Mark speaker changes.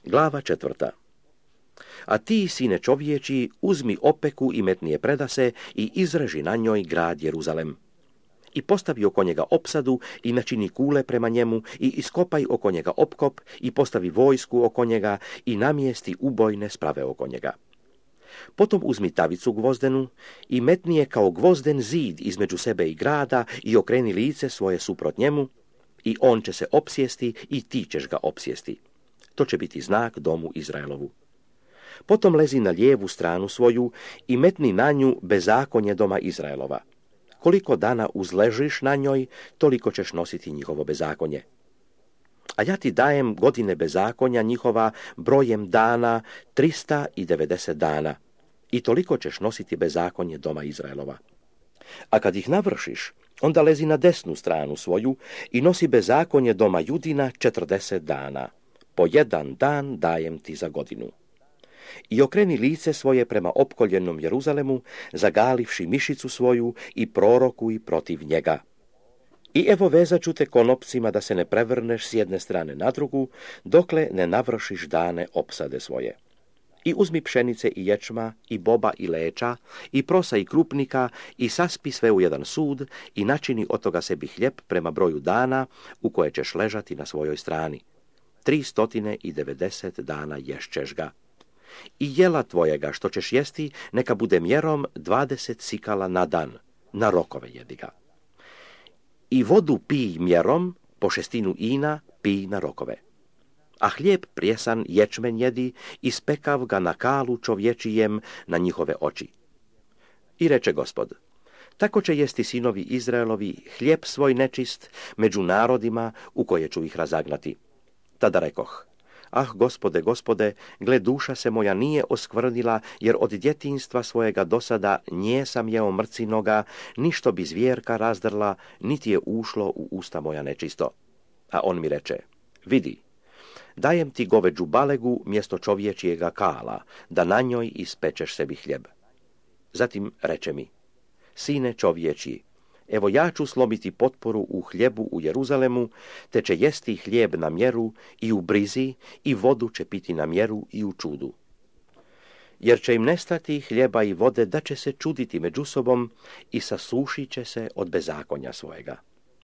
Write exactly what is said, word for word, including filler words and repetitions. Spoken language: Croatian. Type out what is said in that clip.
Speaker 1: Glava četvrta. A ti, sine čovječi, uzmi opeku i metni je predase i izreži na njoj grad Jeruzalem. I postavi oko njega opsadu i načini kule prema njemu i iskopaj oko njega opkop i postavi vojsku oko njega i namjesti ubojne sprave oko njega. Potom uzmi tavicu gvozdenu i metni je kao gvozden zid između sebe i grada i okreni lice svoje suprot njemu i on će se opsjesti i ti ćeš ga opsjesti. To će biti znak domu Izraelovu. Potom lezi na lijevu stranu svoju i metni na nju bezakonje doma Izraelova. Koliko dana uzležiš na njoj, toliko ćeš nositi njihovo bezakonje. A ja ti dajem godine bezakonja njihova brojem dana trista devedeset dana i toliko ćeš nositi bezakonje doma Izraelova. A kad ih navršiš, onda lezi na desnu stranu svoju i nosi bezakonje doma Judina četrdeset dana. Po jedan dan dajem ti za godinu. I okreni lice svoje prema opkoljenom Jeruzalemu, zagalivši mišicu svoju i prorokuj protiv njega. I evo vezat ću te konopcima da se ne prevrneš s jedne strane na drugu, dokle ne navršiš dane opsade svoje. I uzmi pšenice i ječma, i boba i leča, i prosa i krupnika, i saspi sve u jedan sud, i načini od toga sebi hljeb prema broju dana u koje ćeš ležati na svojoj strani. Tri stotine i devedeset dana ješćeš ga. I jela tvojega što ćeš jesti, neka bude mjerom dvadeset sikala na dan, na rokove jedi ga. I vodu pij mjerom, po šestinu ina pij na rokove. A hlijeb prijesan ječmen jedi, ispekav ga na kalu čovječijem na njihove oči. I reče Gospod, tako će jesti sinovi Izraelovi hlijeb svoj nečist među narodima u koje ću ih razagnati. Tada rekoh, ah, Gospode, Gospode, gle, duša se moja nije oskvrnila, jer od djetinjstva svojega dosada nje sam jeo mrcinoga, ništo bi zvjerka razdrla, niti je ušlo u usta moja nečisto. A on mi reče, vidi, dajem ti goveđu balegu mjesto čovječijega kala, da na njoj ispečeš sebi hljeb. Zatim reče mi, sine čovječiji, evo ja ću slomiti potporu u hljebu u Jeruzalemu, te će jesti hljeb na mjeru i u brizi i vodu će piti na mjeru i u čudu. Jer će im nestati hljeba i vode da će se čuditi među sobom i sasušit će se od bezakonja svojega.